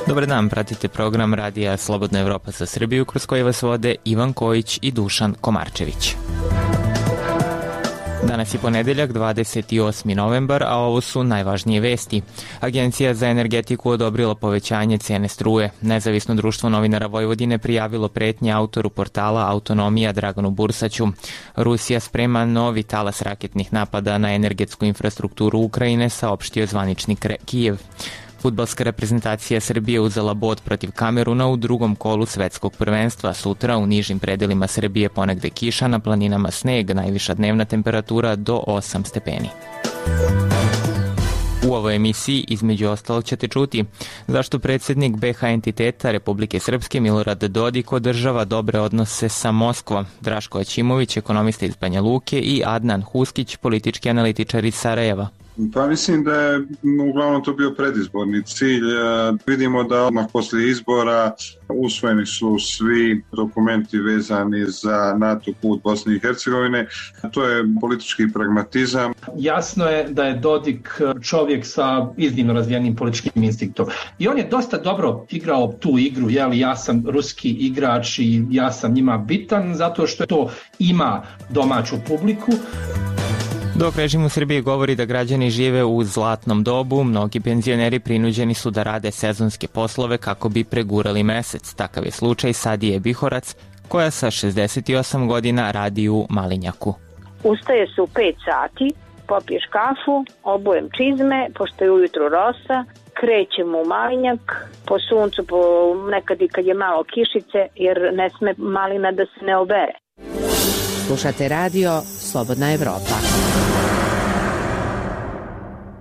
Dobar dan, pratite program Radija Slobodna Evropa za Srbiju, kroz koji vas vode Ivan Kojić i Dušan Komarčević. Danas je ponedeljak, 28. novembar, a ovo su najvažnije vesti. Agencija za energetiku odobrila povećanje cene struje. Nezavisno društvo novinara Vojvodine prijavilo pretnje autoru portala Autonomija Draganu Bursaću. Rusija sprema novi talas raketnih napada na energetsku infrastrukturu Ukrajine, saopštio zvaničnik Kijev. Fudbalska reprezentacija Srbije uzela bod protiv Kameruna u drugom kolu svetskog prvenstva. Sutra u nižim predelima Srbije ponegde kiša, na planinama sneg, najviša dnevna temperatura do 8 stepeni. U ovoj emisiji, između ostalog, ćete čuti zašto predsjednik BH entiteta Republike Srpske Milorad Dodik održava dobre odnose sa Moskvom, Draško Aćimović, ekonomista iz Banja Luke, i Adnan Huskić, politički analitičar iz Sarajeva. Pa mislim da je uglavnom to bio predizborni cilj. Vidimo da odmah poslije izbora usvojeni su svi dokumenti vezani za NATO put Bosne i Hercegovine. To je politički pragmatizam. Jasno je da je Dodik čovjek sa iznimno razvijenim političkim instinktom. I on je dosta dobro igrao tu igru, ja sam ruski igrač i ja sam njima bitan, zato što to ima domaću publiku. Dok režim u Srbiji govori da građani žive u zlatnom dobu, mnogi penzioneri prinuđeni su da rade sezonske poslove kako bi pregurali mesec. Takav je slučaj Sadije Bihorac, koja sa 68 godina radi u Malinjaku. Ustaje se u 5 sati, popiješ kafu, obujem čizme, pošto je ujutru rosa, krećemo u Malinjak, po suncu, nekad i kad je malo kišice, jer ne sme malina da se ne obere. Slušate radio Slobodna Evropa.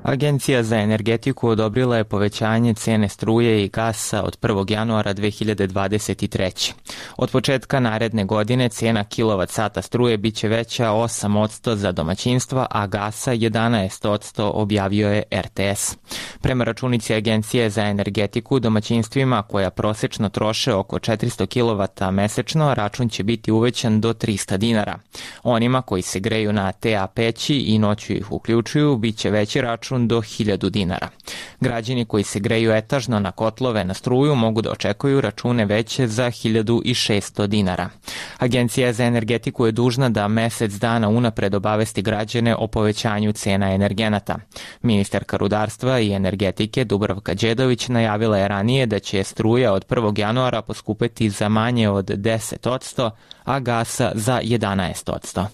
Agencija za energetiku odobrila je povećanje cene struje i gasa od 1. januara 2023. Od početka naredne godine cena kilovat-sata struje biće veća 8% za domaćinstva, a gasa 11%, objavio je RTS. Prema računici Agencije za energetiku, domaćinstvima koja prosečno troše oko 400 kW mesečno, račun će biti uvećan do 300 dinara. Onima koji se greju na TA peći i noću ih uključuju, bit će veći račun do 1000 dinara. Građani koji se greju etažno na kotlove na struju mogu da očekuju račune veće za 1600 dinara. Agencija za energetiku je dužna da mesec dana unapred obavesti građane o povećanju cena energenata. Ministarka rudarstva i energetike Dubravka Đedović najavila je ranije da će struja od 1. januara poskupeti za manje od 10%, a gasa za 11%.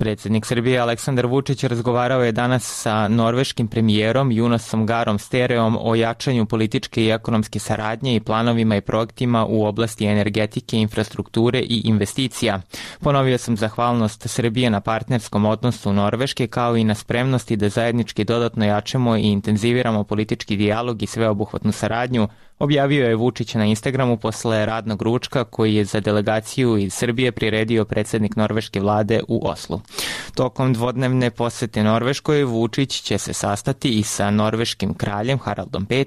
Predsjednik Srbije Aleksandar Vučić razgovarao je danas sa norveškim premijerom Jonasom Garom Stereom o jačanju političke i ekonomske saradnje i planovima i projektima u oblasti energetike, infrastrukture i investicija. Ponovio sam zahvalnost Srbije na partnerskom odnosu Norveške, kao i na spremnosti da zajednički dodatno jačamo i intenziviramo politički dijalog i sveobuhvatnu saradnju, objavio je Vučić na Instagramu posle radnog ručka koji je za delegaciju iz Srbije priredio predsjednik norveške vlade u Oslu. Tokom dvodnevne posete Norveškoj, Vučić će se sastati i sa norveškim kraljem Haraldom V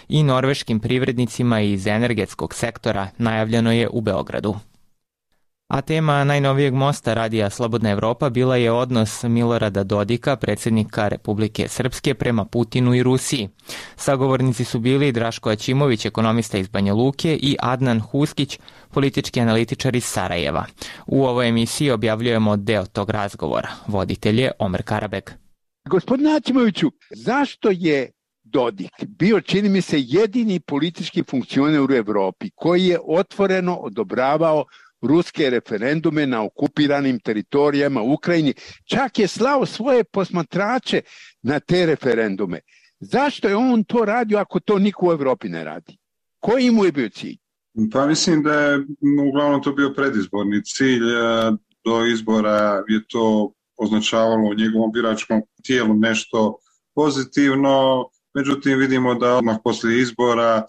i norveškim privrednicima iz energetskog sektora, najavljeno je u Beogradu. A tema najnovijeg mosta Radija Slobodna Evropa bila je odnos Milorada Dodika, predsjednika Republike Srpske, prema Putinu i Rusiji. Sagovornici su bili Draško Aćimović, ekonomista iz Banja Luke, i Adnan Huskić, politički analitičar iz Sarajeva. U ovoj emisiji objavljujemo deo tog razgovora. Voditelj je Omer Karabek. Gospodine Aćimoviću, zašto je Dodik bio, čini mi se, jedini politički funkcioner u Evropi koji je otvoreno odobravao ruske referendume na okupiranim teritorijama u Ukrajini, čak je slao svoje posmatrače na te referendume. Zašto je on to radio ako to niko u Evropi ne radi? Koji mu je bio cilj? Pa mislim da je uglavnom to bio predizborni cilj. Do izbora je to označavalo u njegovom biračkom tijelu nešto pozitivno. Međutim, vidimo da odmah poslije izbora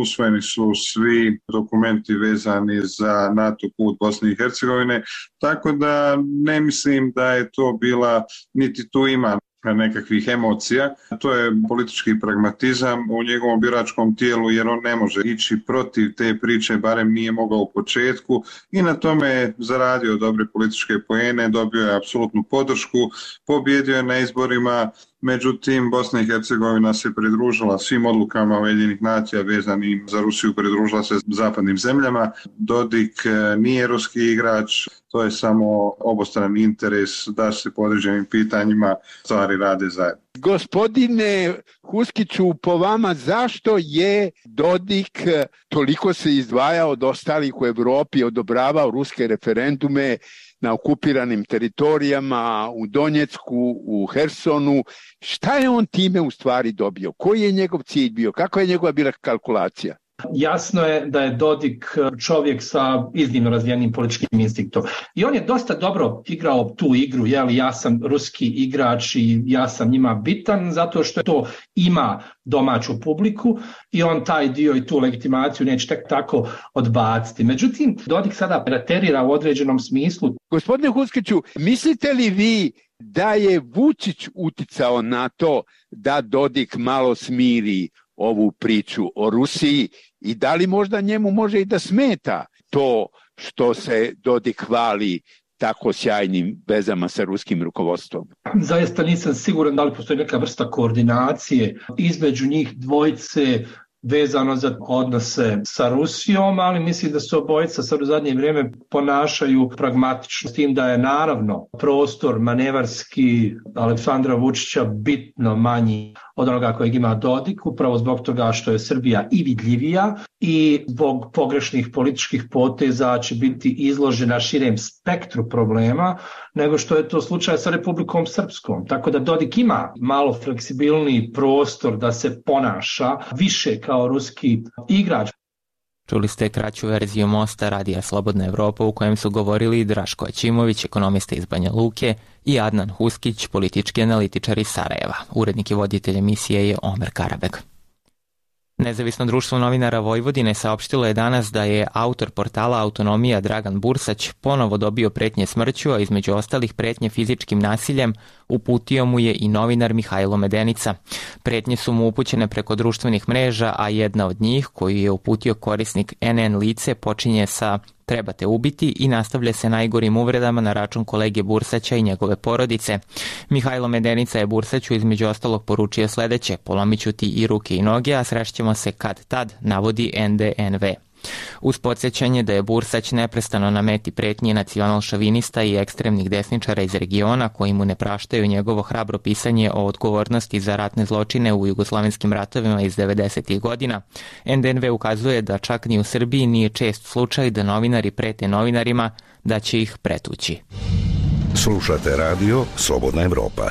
usvojeni su svi dokumenti vezani za NATO put Bosne i Hercegovine, tako da ne mislim da je to bila, niti tu ima nekakvih emocija. To je politički pragmatizam u njegovom biračkom tijelu, jer on ne može ići protiv te priče, barem nije mogao u početku, i na tome je zaradio dobre političke poene, dobio je apsolutnu podršku, pobjedio je na izborima Međutim, Bosna i Hercegovina se pridružila svim odlukama Ujedinjenih nacija vezanim za Rusiju, pridružila se zapadnim zemljama. Dodik nije ruski igrač, to je samo obostrani interes da se po određenim pitanjima stvari rade zajedno. Gospodine Huskiću, po vama zašto je Dodik toliko se izdvajao od ostalih u Evropi, odobravao ruske referendume na okupiranim teritorijama, u Donjecku, u Hersonu? Šta je on time u stvari dobio? Koji je njegov cilj bio? Kako je njegova bila kalkulacija? Jasno je da je Dodik čovjek sa iznimno razvijenim političkim instinktom. I on je dosta dobro igrao tu igru, ja sam ruski igrač i ja sam njima bitan, zato što to ima domaću publiku i on taj dio i tu legitimaciju neće tek tako odbaciti. Međutim, Dodik sada preterira u određenom smislu. Gospodine Huskiću, mislite li vi da je Vučić uticao na to da Dodik malo smiri ovu priču o Rusiji i da li možda njemu može i da smeta to što se Dodik hvali tako sjajnim vezama sa ruskim rukovodstvom? Zaista nisam siguran da li postoji neka vrsta koordinacije između njih dvojice vezano za odnose sa Rusijom, ali mislim da se obojica sad u zadnje vrijeme ponašaju pragmatično, s tim da je naravno prostor manevarski Aleksandra Vučića bitno manji od onoga kojeg ima Dodik, upravo zbog toga što je Srbija i vidljivija i zbog pogrešnih političkih poteza će biti izložena širem spektru problema nego što je to slučaj sa Republikom Srpskom. Tako da Dodik ima malo fleksibilniji prostor da se ponaša više kao ruski igrač. Čuli ste kraću verziju Mosta Radija Slobodna Evropa u kojem su govorili Draško Aćimović, ekonomista iz Banja Luke, i Adnan Huskić, politički analitičar iz Sarajeva. Urednik i voditelj emisije je Omer Karabeg. Nezavisno društvo novinara Vojvodine saopštilo je danas da je autor portala Autonomija Dragan Bursać ponovo dobio pretnje smrću, a između ostalih pretnje fizičkim nasiljem uputio mu je i novinar Mihajlo Medenica. Pretnje su mu upućene preko društvenih mreža, a jedna od njih, koju je uputio korisnik NN Lice, počinje sa "trebate ubiti" i nastavlja se najgorim uvredama na račun kolege Bursaća i njegove porodice. Mihajlo Medenica je Bursaću između ostalog poručio sledeće: "Polomiću ti i ruke i noge, a srešćemo se kad tad", navodi NDNV. Uz podsjećanje da je Bursać neprestano na meti pretnji nacional-šovinista i ekstremnih desničara iz regiona koji mu ne praštaju njegovo hrabro pisanje o odgovornosti za ratne zločine u jugoslovenskim ratovima iz 90. godina, NDNV ukazuje da čak ni u Srbiji nije čest slučaj da novinari prete novinarima da će ih pretući. Slušate radio Slobodna Evropa.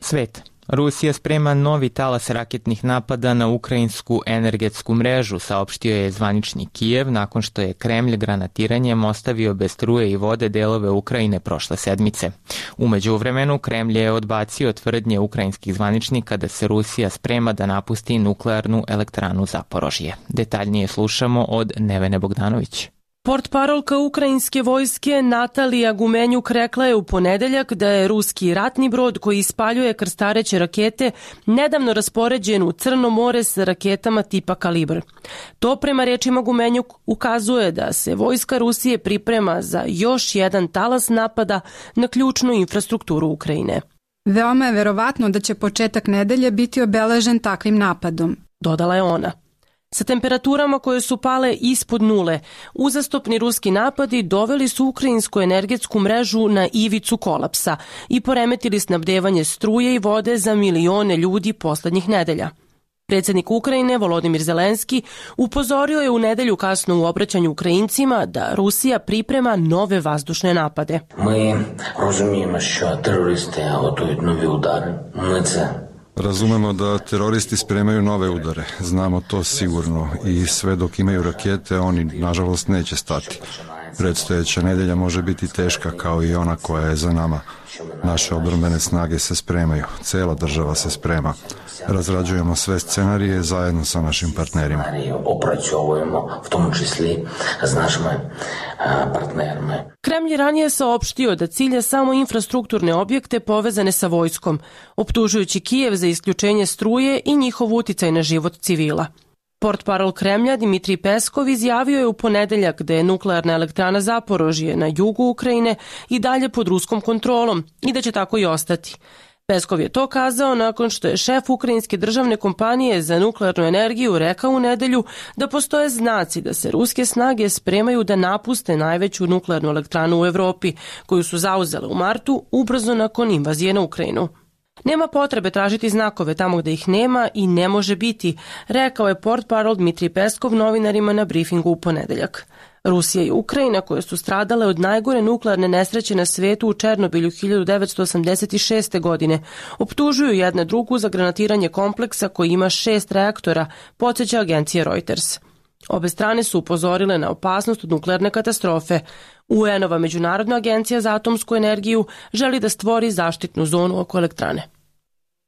Svet. Rusija sprema novi talas raketnih napada na ukrajinsku energetsku mrežu, saopštio je zvanični Kijev nakon što je Kremlj granatiranjem ostavio bez struje i vode delove Ukrajine prošle sedmice. U međuvremenu Kremlj je odbacio tvrdnje ukrajinskih zvaničnika da se Rusija sprema da napusti nuklearnu elektranu Zaporožje. Detaljnije slušamo od Nevene Bogdanović. Portparolka ukrajinske vojske Natalija Gumenjuk rekla je u ponedeljak da je ruski ratni brod koji ispaljuje krstareće rakete nedavno raspoređen u Crno more sa raketama tipa Kalibr. To prema rečima Gumenjuk ukazuje da se vojska Rusije priprema za još jedan talas napada na ključnu infrastrukturu Ukrajine. Veoma je verovatno da će početak nedelje biti obeležen takvim napadom, dodala je ona. Sa temperaturama koje su pale ispod nule, uzastopni ruski napadi doveli su ukrajinsku energetsku mrežu na ivicu kolapsa i poremetili snabdevanje struje i vode za milione ljudi poslednjih nedelja. Predsjednik Ukrajine Volodimir Zelenski upozorio je u nedelju kasno u obraćanju Ukrajincima da Rusija priprema nove vazdušne napade. Mi razumijemo što teroristi готують нові удари. Ми це Razumemo da teroristi spremaju nove udare. Znamo to sigurno i sve dok imaju rakete, oni nažalost neće stati. Predstojeća nedelja može biti teška kao i ona koja je za nama. Naše obrambene snage se spremaju, cela država se sprema. Razrađujemo sve scenarije zajedno sa našim partnerima. Opraćujemo, v tom čisli s našim partnerima. Kremlj je ranije saopštio da cilja samo infrastrukturne objekte povezane sa vojskom, optužujući Kijev za isključenje struje i njihov uticaj na život civila. Portparol Kremlja Dimitrij Peskov izjavio je u ponedeljak da je nuklearna elektrana Zaporožje na jugu Ukrajine i dalje pod ruskom kontrolom i da će tako i ostati. Peskov je to kazao nakon što je šef ukrajinske državne kompanije za nuklearnu energiju rekao u nedelju da postoje znaci da se ruske snage spremaju da napuste najveću nuklearnu elektranu u Evropi, koju su zauzele u martu ubrzo nakon invazije na Ukrajinu. Nema potrebe tražiti znakove tamo gde ih nema i ne može biti, rekao je portparol Dmitrij Peskov novinarima na brifingu u ponedeljak. Rusija i Ukrajina, koje su stradale od najgore nuklearne nesreće na svetu u Černobilju 1986. godine, optužuju jedna drugu za granatiranje kompleksa koji ima 6 reaktora, podsjeća agencija Reuters. Obe strane su upozorile na opasnost od nuklearne katastrofe. UN-ova Međunarodna agencija za atomsku energiju želi da stvori zaštitnu zonu oko elektrane.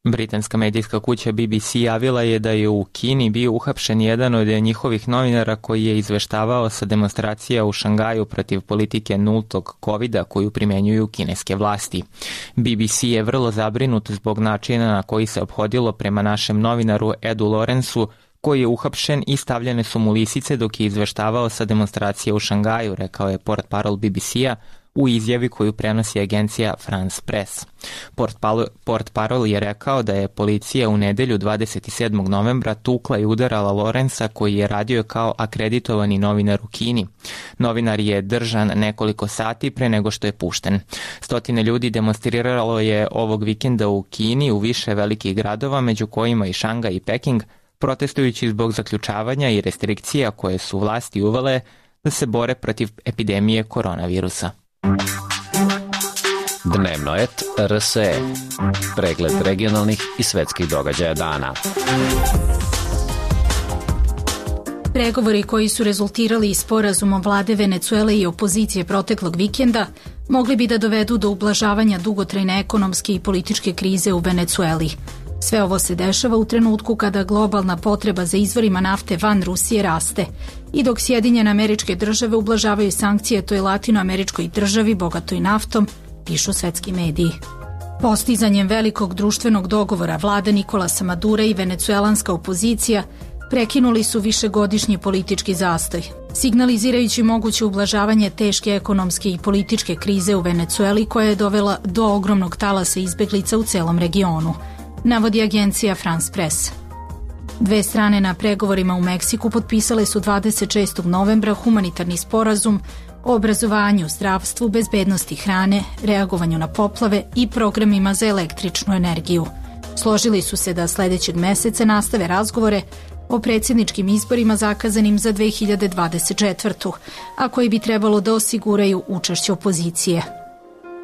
Britanska medijska kuća BBC javila je da je u Kini bio uhapšen jedan od njihovih novinara koji je izveštavao sa demonstracija u Šangaju protiv politike nultog covida koju primenjuju kineske vlasti. BBC je vrlo zabrinut zbog načina na koji se ophodilo prema našem novinaru Edu Lorensu, koji je uhapšen i stavljene su mu lisice dok je izveštavao sa demonstracije u Šangaju, rekao je portparol BBC-a u izjavi koju prenosi agencija France Press. Portparol je rekao da je policija u nedelju 27. novembra tukla i udarala Lorensa koji je radio kao akreditovani novinar u Kini. Novinar je držan nekoliko sati pre nego što je pušten. Stotine ljudi demonstriralo je ovog vikenda u Kini u više velikih gradova, među kojima i Šangaj i Peking, protestujući zbog zaključavanja i restrikcija koje su vlasti uvele da se bore protiv epidemije koronavirusa. Dnevno et RSE. Pregled regionalnih i svetskih događaja dana. Pregovori koji su rezultirali sporazumom vlade Venecuele i opozicije proteklog vikenda mogli bi da dovedu do ublažavanja dugotrajne ekonomske i političke krize u Venecueli. Sve ovo se dešava u trenutku kada globalna potreba za izvorima nafte van Rusije raste i dok Sjedinjene Američke Države ublažavaju sankcije toj latinoameričkoj državi bogatoj naftom, pišu svetski mediji. Postizanjem velikog društvenog dogovora vlada Nikolasa Madura i venecuelanska opozicija prekinuli su višegodišnji politički zastoj, signalizirajući moguće ublažavanje teške ekonomske i političke krize u Venecueli koja je dovela do ogromnog talasa izbeglica u celom regionu, navodi agencija France Press. Dve strane na pregovorima u Meksiku potpisale su 26. novembra humanitarni sporazum o obrazovanju, zdravstvu, bezbednosti hrane, reagovanju na poplave i programima za električnu energiju. Složili su se da sledećeg meseca nastave razgovore o predsjedničkim izborima zakazanim za 2024. a koji bi trebalo da osiguraju učešće opozicije.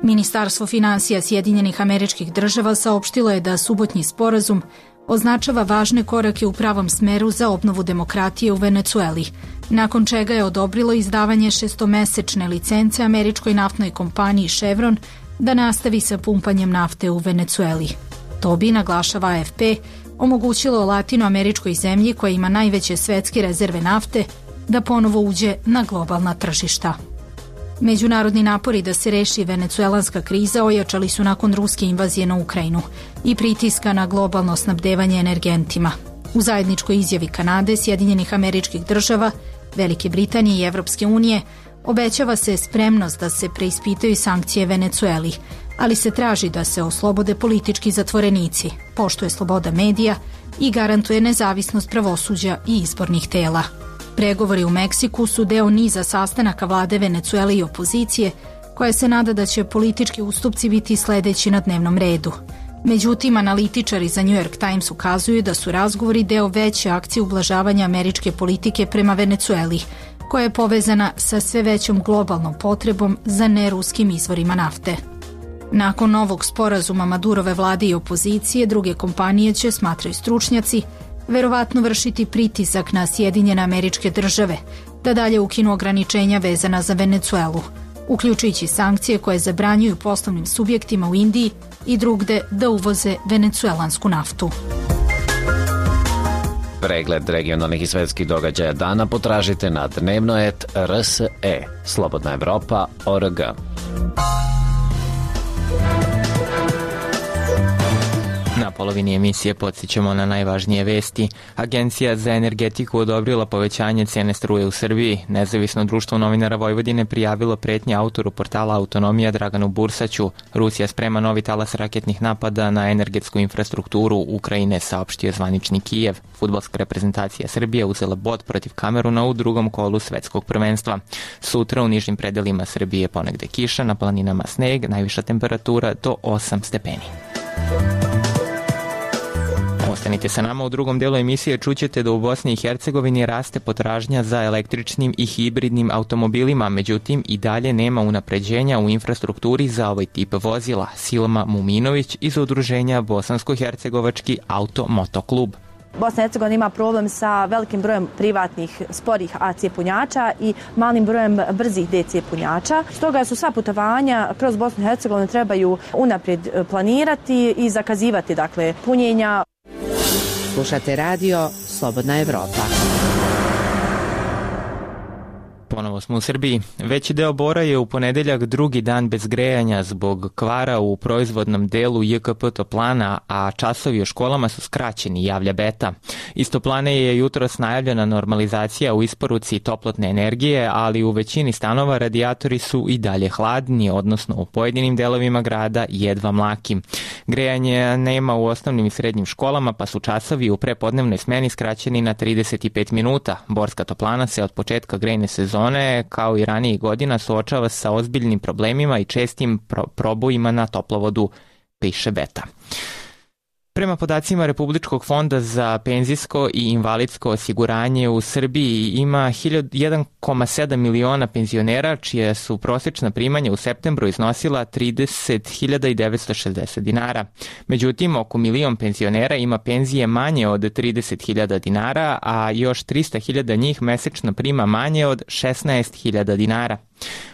Ministarstvo finansija Sjedinjenih Američkih Država saopštilo je da subotnji sporazum označava važne korake u pravom smeru za obnovu demokratije u Venecueli, nakon čega je odobrilo izdavanje 6-mesečne licence američkoj naftnoj kompaniji Chevron da nastavi sa pumpanjem nafte u Venecueli. To bi, naglašava AFP, omogućilo latinoameričkoj zemlji koja ima najveće svetske rezerve nafte da ponovo uđe na globalna tržišta. Međunarodni napori da se reši venecuelanska kriza ojačali su nakon ruske invazije na Ukrajinu i pritiska na globalno snabdevanje energentima. U zajedničkoj izjavi Kanade, Sjedinjenih Američkih Država, Velike Britanije i Evropske unije obećava se spremnost da se preispitaju sankcije Venecueli, ali se traži da se oslobode politički zatvorenici, poštuje sloboda medija i garantuje nezavisnost pravosuđa i izbornih tela. Pregovori u Meksiku su deo niza sastanaka vlade Venecuele i opozicije, koja se nada da će politički ustupci biti sledeći na dnevnom redu. Međutim, analitičari za New York Times ukazuju da su razgovori deo veće akcije ublažavanja američke politike prema Venecueli, koja je povezana sa sve većom globalnom potrebom za neruskim izvorima nafte. Nakon novog sporazuma Madurove vlade i opozicije, druge kompanije će, smatraju stručnjaci, verovatno vršiti pritisak na Sjedinjene Američke Države da dalje ukinu ograničenja vezana za Venecuelu, uključujući sankcije koje zabranjuju poslovnim subjektima u Indiji i drugde da uvoze venecuelansku naftu. Pregled regionalnih i svetskih događaja dana potražite na dnevno.rs.e, slobodnaevropa.org. Na polovini emisije podsjećamo na najvažnije vesti. Agencija za energetiku odobrila povećanje cene struje u Srbiji. Nezavisno društvo novinara Vojvodine prijavilo pretnje autoru portala Autonomija Draganu Bursaću. Rusija sprema novi talas raketnih napada na energetsku infrastrukturu Ukrajine, saopštio zvanični Kijev. Fudbalska reprezentacija Srbije uzela bod protiv Kameruna u drugom kolu svetskog prvenstva. Sutra u nižim predelima Srbije ponegde kiša, na planinama sneg, najviša temperatura do 8 stepeni. Ostanite sa nama, u drugom delu emisije čućete da u Bosni i Hercegovini raste potražnja za električnim i hibridnim automobilima, međutim i dalje nema unapređenja u infrastrukturi za ovaj tip vozila. Silma Muminović iz udruženja Bosansko-Hercegovački auto-motoklub. Bosna i Hercegovina ima problem sa velikim brojem privatnih sporih AC punjača i malim brojem brzih DC punjača. Stoga su sva putovanja kroz Bosnu i Hercegovinu trebaju unaprijed planirati i zakazivati punjenja. Slušate radio Slobodna Evropa. Ponovo smo u Srbiji. Veći deo Bora je u ponedeljak drugi dan bez grejanja zbog kvara u proizvodnom delu JKP Toplana, a časovi u školama su skraćeni, javlja Beta. Iz Toplane je jutros najavljena normalizacija u isporuci toplotne energije, ali u većini stanova radijatori su i dalje hladni, odnosno u pojedinim delovima grada jedva mlaki. Grejanje nema u osnovnim i srednjim školama, pa su časovi u prepodnevnoj smeni skraćeni na 35 minuta. Borska Toplana se od početka grejne sezone, kao i ranijih godina, suočava sa ozbiljnim problemima i čestim probojima na toplovodu, piše Beta. Prema podacima Republičkog fonda za penzijsko i invalidsko osiguranje u Srbiji ima 1,7 miliona penzionera čija su prosječna primanja u septembru iznosila 30.960 dinara. Međutim, oko milion penzionera ima penzije manje od 30.000 dinara, a još 300.000 njih mesečno prima manje od 16.000 dinara.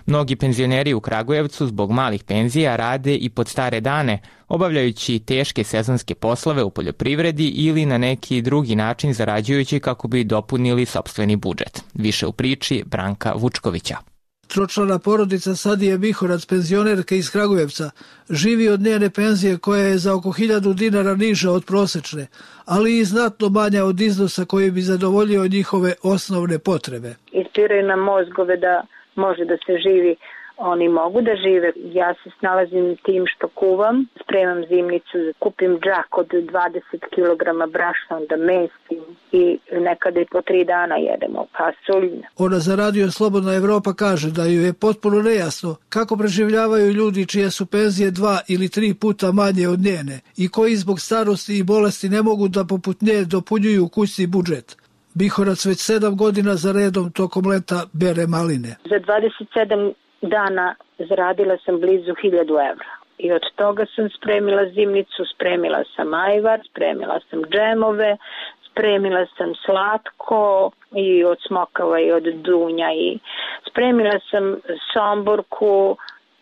Mnogi penzioneri u Kragujevcu zbog malih penzija rade i pod stare dane, obavljajući teške sezonske poslove u poljoprivredi ili na neki drugi način zarađujući kako bi dopunili sopstveni budžet. Više u priči Branka Vučkovića. Tročlana porodica Sadije Bihorac, penzionerka iz Kragujevca, živi od njene penzije koja je za oko 1000 dinara niža od prosečne, ali i znatno manja od iznosa koji bi zadovoljio njihove osnovne potrebe. Ispiraju nam mozgove da može da se živi, oni mogu da žive. Ja se snalazim tim što kuvam, spremam zimnicu, kupim džak od 20 kg brašna, onda mesim i nekada i po 3 dana jedemo pasulj. Ona za radio Slobodna Evropa kaže da ju je potpuno nejasno kako preživljavaju ljudi čije su penzije 2 ili 3 puta manje od njene i koji zbog starosti i bolesti ne mogu da poput nje dopunjuju kućni budžet. Bihorac već 7 godina za redom tokom leta bere maline. Za 27 dana zaradila sam blizu 1000 evra. I od toga sam spremila zimnicu, spremila sam ajvar, spremila sam džemove, spremila sam slatko i od smokava i od dunja i spremila sam somborku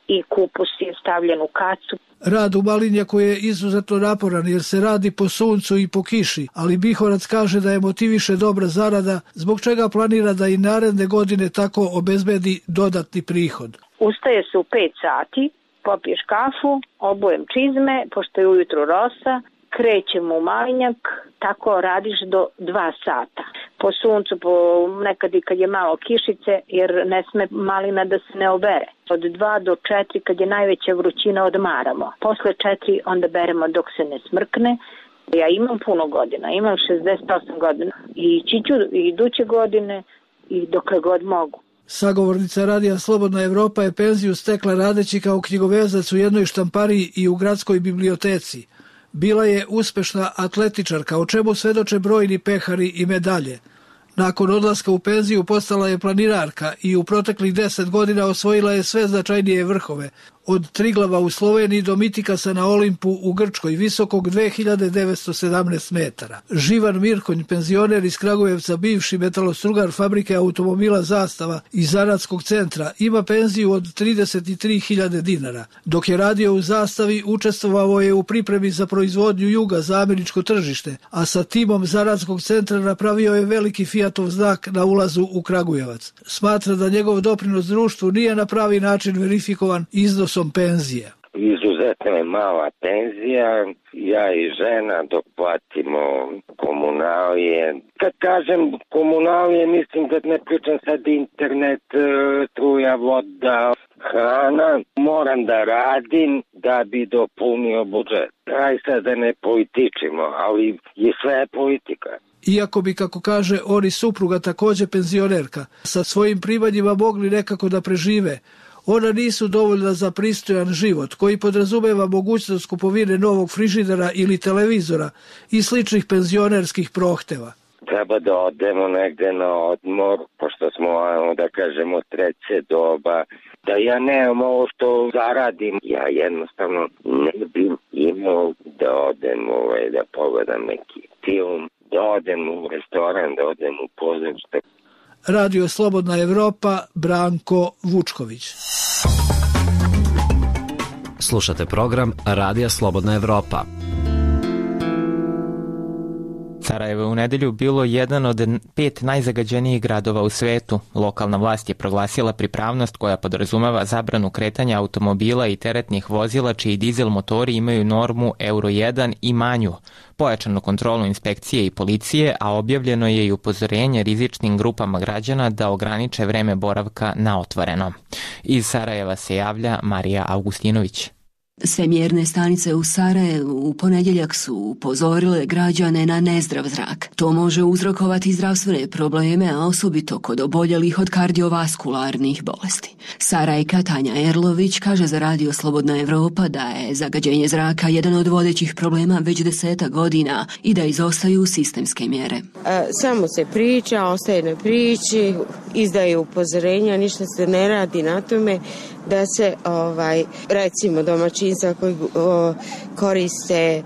i kupus je stavljen u kacu. Rad u malinjaku je izuzetno naporan jer se radi po suncu i po kiši, ali Bihorac kaže da je motiviše dobra zarada, zbog čega planira da i naredne godine tako obezbedi dodatni prihod. Ustaje se u 5 sati, popiješ kafu, obujem čizme, pošto je ujutru rosa, krećem u malinjak, tako radiš do 2 sata. Po suncu, nekad i kad je malo kišice, jer ne sme malina da se ne obere. Od 2 do 4, kad je najveća vrućina, odmaramo. Posle 4 onda beremo dok se ne smrkne. Ja imam puno godina, imam 68 godina i ću iduće godine i dokle god mogu. Sagovornica radija Slobodna Evropa je penziju stekla radeći kao knjigovezac u jednoj štampariji i u gradskoj biblioteci. Bila je uspešna atletičarka, o čemu svedoče brojni pehari i medalje. Nakon odlaska u penziju postala je planinarka i u proteklih 10 godina osvojila je sve značajnije vrhove. Od Triglava u Sloveniji do Mitikasa na Olimpu u Grčkoj, visokog 2917 metara. Živan Mirkonj, penzioner iz Kragujevca, bivši metalostrugar fabrike automobila Zastava i zanatskog centra, ima penziju od 33.000 dinara. Dok je radio u Zastavi, učestvovao je u pripremi za proizvodnju juga za američko tržište, a sa timom zanatskog centra napravio je veliki Fiatov znak na ulazu u Kragujevac. Smatra da njegov doprinos društvu nije na pravi način verifikovan iznosom penzije. izuzetno je mala penzija, ja i žena dok platimo komunalije. Kad kažem komunalije, mislim da ne pričam sad internet, struja, voda, hrana. Moram da radim da bi dopunio budžet. Aj sad da ne političimo, ali je sve politika. Iako bi, kako kaže, oni supruga takođe penzionerka, sa svojim primanjima mogli nekako da prežive, ona nisu dovoljna za pristojan život, koji podrazumeva mogućnost kupovine novog frižidera ili televizora i sličnih penzionerskih prohteva. Treba da odemo negde na odmor, pošto smo, da kažemo, treće doba, da ja nemam ovo što zaradim. Ja jednostavno ne bih imao da odem, da pogledam neki film, da odem u restoran, da odem u pozorište. Radio Slobodna Evropa, Branko Vučković. Slušate program Radija Slobodna Evropa. Sarajevo je u nedelju bilo jedan od 5 najzagađenijih gradova u svetu. Lokalna vlast je proglasila pripravnost koja podrazumeva zabranu kretanja automobila i teretnih vozila čiji dizel motori imaju normu Euro 1 i manju, pojačanu kontrolu inspekcije i policije, a objavljeno je i upozorenje rizičnim grupama građana da ograniče vreme boravka na otvorenom. Iz Sarajeva se javlja Marija Augustinović. Sve mjerne stanice u Sarajevu u ponedjeljak su upozorile građane na nezdrav zrak. To može uzrokovati zdravstvene probleme, a osobito kod oboljelih od kardiovaskularnih bolesti. Sarajka Tanja Erlović kaže za Radio Slobodna Evropa da je zagađenje zraka jedan od vodećih problema već 10 godina i da izostaju sistemske mjere. Samo se priča, ostaje na priči, izdaje upozorenja, ništa se ne radi na tome da se recimo domaćinstva koji koriste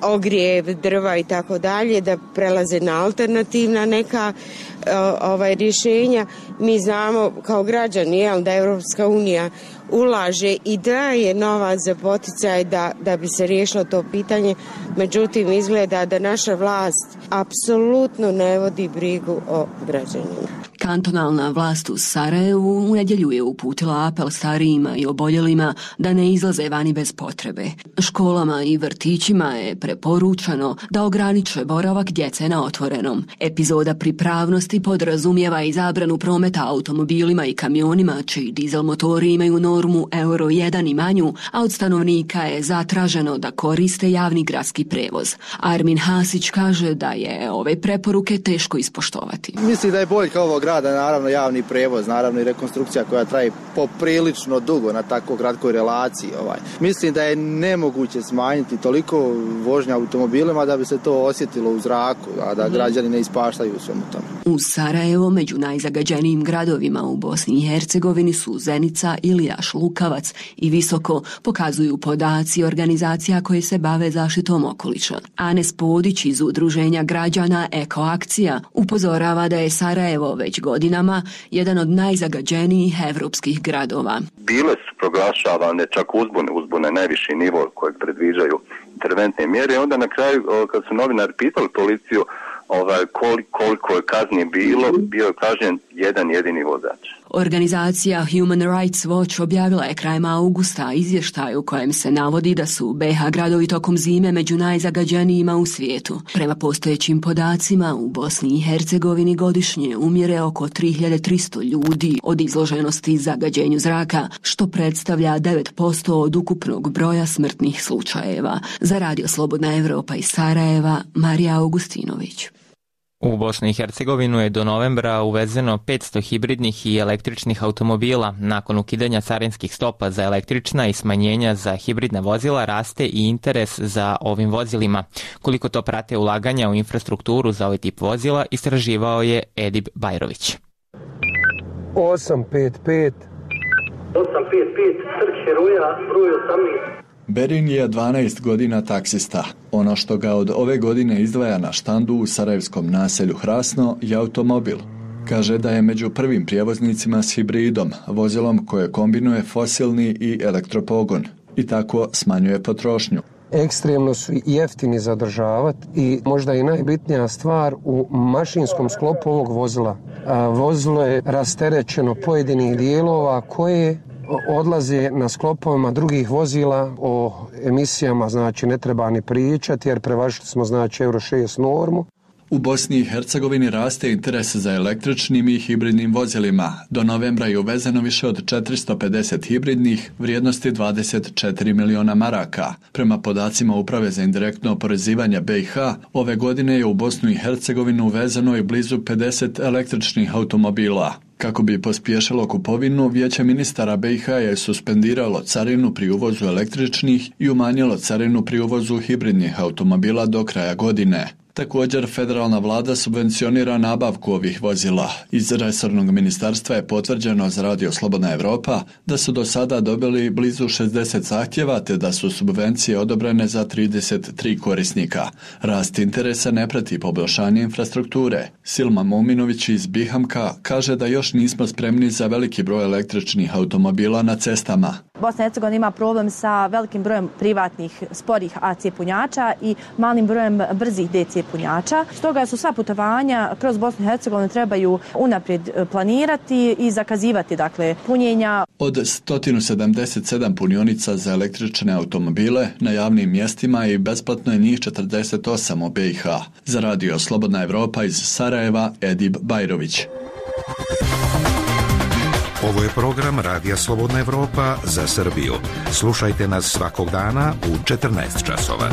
ogrijev, drva i tako dalje, da prelaze na alternativna neka rješenja. Mi znamo kao građani da Europska unija ulaže i daje novac za poticaj da bi se riješilo to pitanje, međutim izgleda da naša vlast apsolutno ne vodi brigu o građanima. Kantonalna vlast u Sarajevu u nedjelju je uputila apel starijima i oboljelima da ne izlaze vani bez potrebe. Školama i vrtićima je preporučeno da ograniče boravak djece na otvorenom. Epizoda pripravnosti podrazumijeva i zabranu prometa automobilima i kamionima čiji dizel motori imaju normu Euro 1 i manju, a od stanovnika je zatraženo da koriste javni gradski prevoz. Armin Hasić kaže da je ove preporuke teško ispoštovati. Mislim da je boljka ovog grada, naravno javni prevoz, naravno i rekonstrukcija koja traje poprilično dugo na tako kratkoj relaciji. Mislim da je nemoguće smanjiti toliko vožnja automobilima da bi se to osjetilo u zraku, a da građani ne ispaštaju u svemu tome. U Sarajevo među najzagađenijim gradovima u Bosni i Hercegovini su Zenica, Ilijaš, Lukavac i Visoko, pokazuju podaci organizacija koje se bave zaštitom okoliša. Anes Podić iz udruženja građana Ekoakcija upozorava da je Sarajevo već godinama jedan od najzagađenijih evropskih gradova. Bile su proglašavane čak uzbune najviši nivo kojeg predviđaju interventne mjere. Onda na kraju kad su novinari pitali policiju koliko je kazni bilo, bio je kažnjen jedan jedini vozač. Organizacija Human Rights Watch objavila je krajem augusta izvještaj u kojem se navodi da su BiH gradovi tokom zime među najzagađenijima u svijetu. Prema postojećim podacima u Bosni i Hercegovini godišnje umire oko 3300 ljudi od izloženosti zagađenju zraka, što predstavlja 9% od ukupnog broja smrtnih slučajeva. Za Radio Slobodna Evropa iz Sarajeva, Marija Augustinović. U Bosnu i Hercegovinu je do novembra uvezeno 500 hibridnih i električnih automobila. Nakon ukidanja carinskih stopa za električna i smanjenja za hibridna vozila raste i interes za ovim vozilima. Koliko to prate ulaganja u infrastrukturu za ovaj tip vozila, istraživao je Edib Bajrović. 855 Trg Heroja, broj 18. Berin je 12 godina taksista. Ono što ga od ove godine izdvaja na štandu u sarajevskom naselju Hrasno je automobil. Kaže da je među prvim prijevoznicima s hibridom, vozilom koje kombinuje fosilni i elektropogon i tako smanjuje potrošnju. Ekstremno su jeftini za održavati i možda i najbitnija stvar u mašinskom sklopu ovog vozila. Vozilo je rasterećeno pojedinih dijelova koje odlaze na sklopovima drugih vozila. O emisijama znači ne treba ni pričati jer prevažili smo znači Euro 6 normu. U Bosni i Hercegovini raste interes za električnim i hibridnim vozilima. Do novembra je uvezeno više od 450 hibridnih vrijednosti 24 miliona maraka. Prema podacima Uprave za indirektno oporezivanje BiH, ove godine je u Bosnu i Hercegovinu uvezeno i blizu 50 električnih automobila. Kako bi pospješilo kupovinu, Vijeće ministara BiH je suspendiralo carinu pri uvozu električnih i umanjilo carinu pri uvozu hibridnih automobila do kraja godine. Također, federalna vlada subvencionira nabavku ovih vozila. Iz resornog ministarstva je potvrđeno za Radio Slobodna Evropa da su do sada dobili blizu 60 zahtjeva te da su subvencije odobrene za 33 korisnika. Rast interesa ne prati poboljšanje infrastrukture. Silma Muminović iz Bihamka kaže da još nismo spremni za veliki broj električnih automobila na cestama. Bosna i Hercegovina ima problem sa velikim brojem privatnih sporih AC punjača i malim brojem brzih DC punjača. Stoga su sva putovanja kroz Bosnu i Hercegovinu trebaju unaprijed planirati i zakazivati punjenja. Od 177 punionica za električne automobile na javnim mjestima i besplatno je njih 48 u BiH. Za Radio Slobodna Evropa iz Sarajeva, Edib Bajrović. Ovo je program Radija Slobodna Evropa za Srbiju. Slušajte nas svakog dana u 14 časova.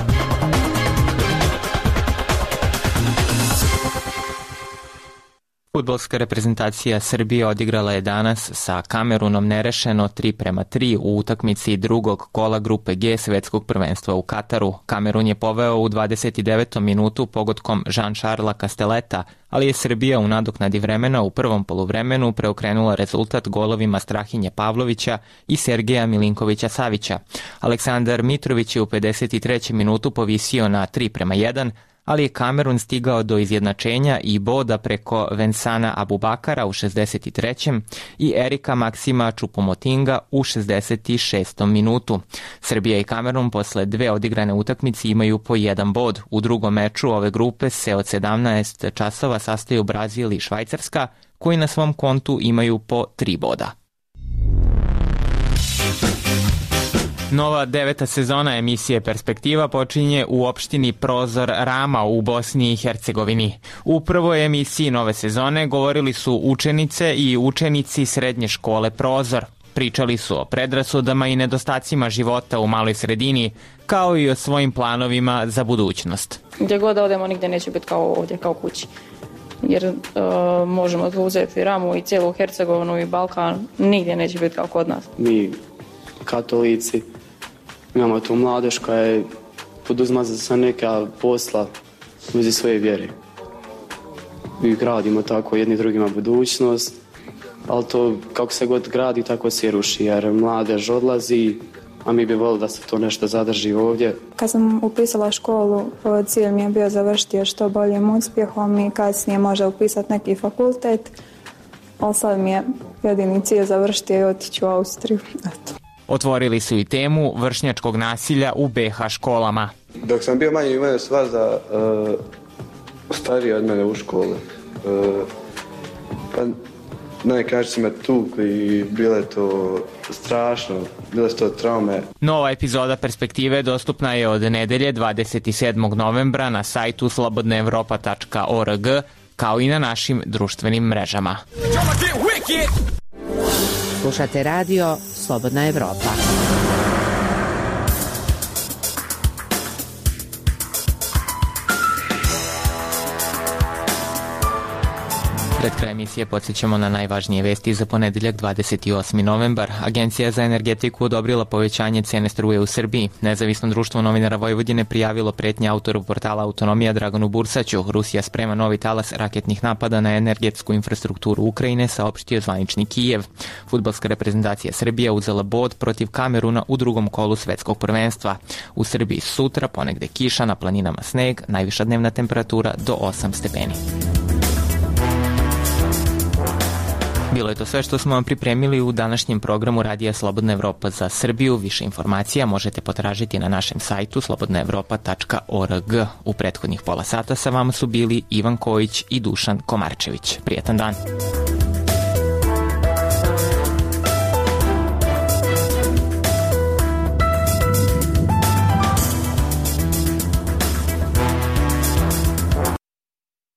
Fudbalska reprezentacija Srbije odigrala je danas sa Kamerunom nerešeno 3:3 u utakmici drugog kola grupe G svetskog prvenstva u Kataru. Kamerun je poveo u 29. minutu pogodkom Jean-Charlesa Castelleta, ali je Srbija u nadoknadi vremena u prvom poluvremenu preokrenula rezultat golovima Strahinje Pavlovića i Sergeja Milinkovića Savića. Aleksandar Mitrović je u 53. minutu povisio na 3:1, ali je Kamerun stigao do izjednačenja i boda preko Vensana Abubakara u 63. i Erika Maksima Čupomotinga u 66. minutu. Srbija i Kamerun posle dve odigrane utakmice imaju po jedan bod. U drugom meču ove grupe se od 17 časova sastaju Brazil i Švajcarska, koji na svom kontu imaju po 3 boda. Nova 9. sezona emisije Perspektiva počinje u opštini Prozor Rama u Bosni i Hercegovini. U prvoj emisiji nove sezone govorili su učenice i učenici srednje škole Prozor. Pričali su o predrasudama i nedostacima života u maloj sredini, kao i o svojim planovima za budućnost. Gdje god da odemo, nigdje neće biti kao ovdje, kao kući. Jer možemo uzeti Ramu i cijelu Hercegovinu i Balkan, nigdje neće biti kao kod nas. Mi, katolici, imamo tu mladež koja je poduzma za neka posla uzi svoje vjere. Mi gradimo tako jedni drugima budućnost, ali to kako se god gradi, tako se ruši, jer mladež odlazi, a mi bi volili da se to nešto zadrži ovdje. Kad sam upisala školu, cilj mi je bio završiti još što boljim uspjehom i kasnije može upisati neki fakultet, ali sad mi je jedini cilj završiti i otići u Austriju. Eto. Otvorili su i temu vršnjačkog nasilja u BiH školama. Dok sam bio manji, imao svaza stariji od mene u školi. Pa najkraće su me tukli i bilo je to strašno, bile su to traume. Nova epizoda Perspektive dostupna je od nedelje 27. novembra na sajtu slobodnaevropa.org, kao i na našim društvenim mrežama. Slušate radio Slobodna Evropa. Pred kraj emisije podsjećamo na najvažnije vesti za ponedeljak 28. novembar. Agencija za energetiku odobrila povećanje cene struje u Srbiji. Nezavisno društvo novinara Vojvodine prijavilo pretnje autoru portala Autonomija Draganu Bursaću. Rusija sprema novi talas raketnih napada na energetsku infrastrukturu Ukrajine, saopštio zvanični Kijev. Fudbalska reprezentacija Srbije uzela bod protiv Kameruna u drugom kolu svetskog prvenstva. U Srbiji sutra ponegde kiša, na planinama sneg, najviša dnevna temperatura do 8 stepeni. Bilo je to sve što smo vam pripremili u današnjem programu Radija Slobodna Evropa za Srbiju. Više informacija možete potražiti na našem sajtu slobodnaevropa.org. U prethodnih pola sata sa vama su bili Ivan Kojić i Dušan Komarčević. Prijetan dan!